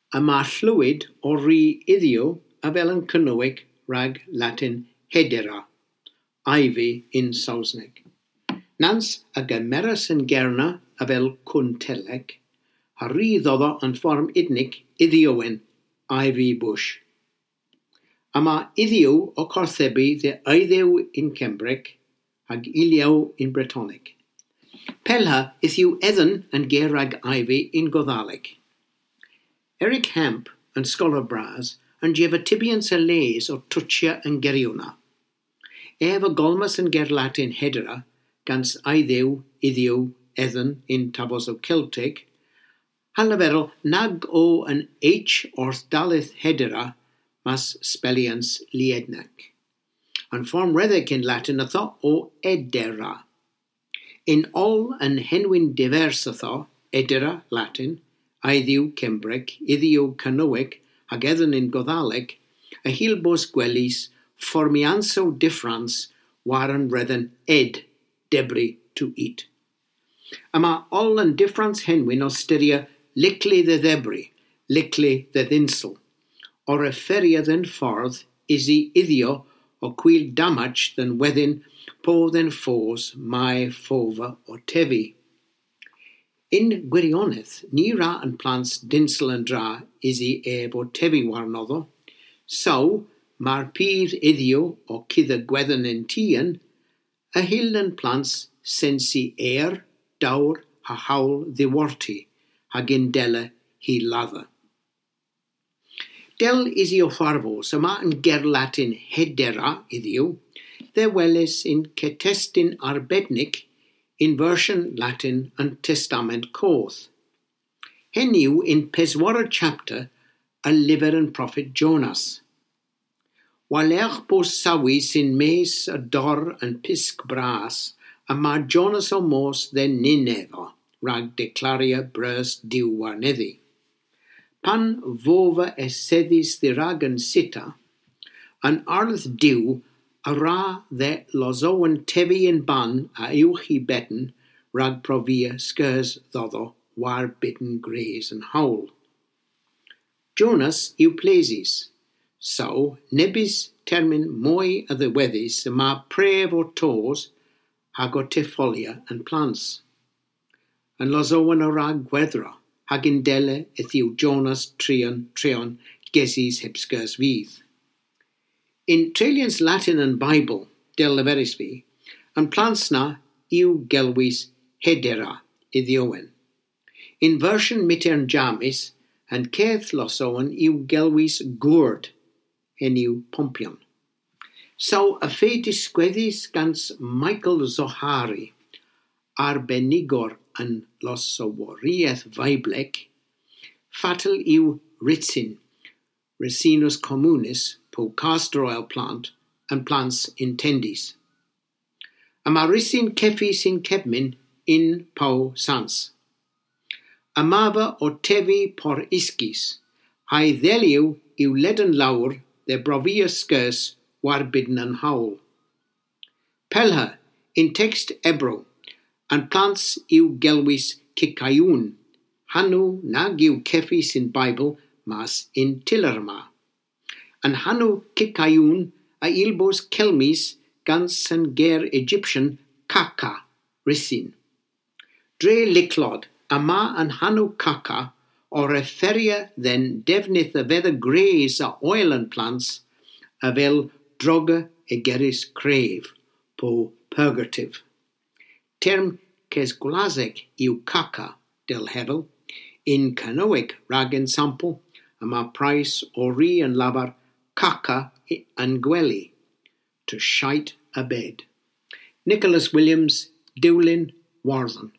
Y mae llwyd o ri iddiw a fel yn Cernyweg rhag Latin hedera, ivy in Saesneg. Nans a gymeras yn gerna a fel cwntelec, a rhydd oddo yn fform idnig iddiowen, ivy bush. A mae iddiw o corthebu dde eiddew in Cembreg hag iliaw in Bretoneg. Pelha yw edden yn ger rag ivy in Goddaleg. Eric Hamp yn Scholar Bras yn jefa tibians y les o twtsia yn geriwna. Ef y golmas yn ger Latin hedera gans eiddew, iddiw, edden in tafos o Celtic, halaferol nag o yn H orth dalith hedera mas spelians liednac. Yn fform reddeg in Latin atho o edera. In ol yn henwyn divers atho, edera Latin, eiddiw Cembreg, iddiw Cernyweg, hag edden in Goddaleg, a hilbos gwellis formianso difference war yn redden ed, debri to eat. A mae ol yn difference henwyn o styria licli the ddebri, licli the ddinsel, o referia den ffordd isi iddio o cwyl damage than wedyn po den ffos mae ffofa o tefi. In gwirionedd, ni ra yn plants dinsel yn dra isi ef o tefi warnoddo, so mae'r pydd iddio o cydd y gwedden yn tîan, y hil yn plants sensi air, dawr ha hawl ddiworti, hag indele hi ladda. Del isi o farfos, yma yn ger Latin hedera iddiw, dde welis in cetestyn arbednig in version Latin yn Testament Coth. Hen yw in peswara chapter y lyfr yn prophet Jonas. Walech bo sawi sy'n mes y dor yn pisg bras, a mae Jonas o mos dde Ninefo, rhag declaria brys diw warneddi. Pan fofa eseddis ddirag yn sita, yn ardd diw a ra dde lozowen tefi yn ban a uwch i bedden rhag profia sgers ddoddo war bidden gres yn hawl. Jonas yw plesis, so nebys termyn mwy a ddiweddus y mae pref o tos hag o teffolia yn plans. Yn lozowen o rag gweddro, hag indele yw Jonas trion treon gesis heb sgers fydd. In Trelians Latin and Bible, del leferis fi, yn plans na yw gelwys hedera iddiowen. In version mitern jamis, yn cedd losowen yw gelwys gwrd, hen yw pompion. So, y fe disgweddus gans Michael Zohari, arbenigor yn losoworiaeth Feibleg, fatal yw ritsin, Ricinus communis, po castor oil plant, and plants intendis. A mae risin ceffi sy'n cefmyn in po sans. Amava o tefi por isgis, hae ddeliw yw leden lawr dde brofia sgers war bidden yn hawl. Pelha, in text ebro, and plants yw gelwys cicaiwn, hanw nag yw ceffi sy'n Bible mas in tillerma. An hanw cicaiwn a ilbos celmis gans yn ger Egyptian caca, risin. Dre liclod, a ma an hanw caca o referia den defnydd y fedda gres a oil yn plants a fel droga egeris cref, po purgative. Term cesgwlaseg yw caca del hefel, in Cernyweg rag ensample, a mae price o ri yn lafar caca yn gwely, to shite a bed. Nicholas Williams, Dewlyn, Warthen.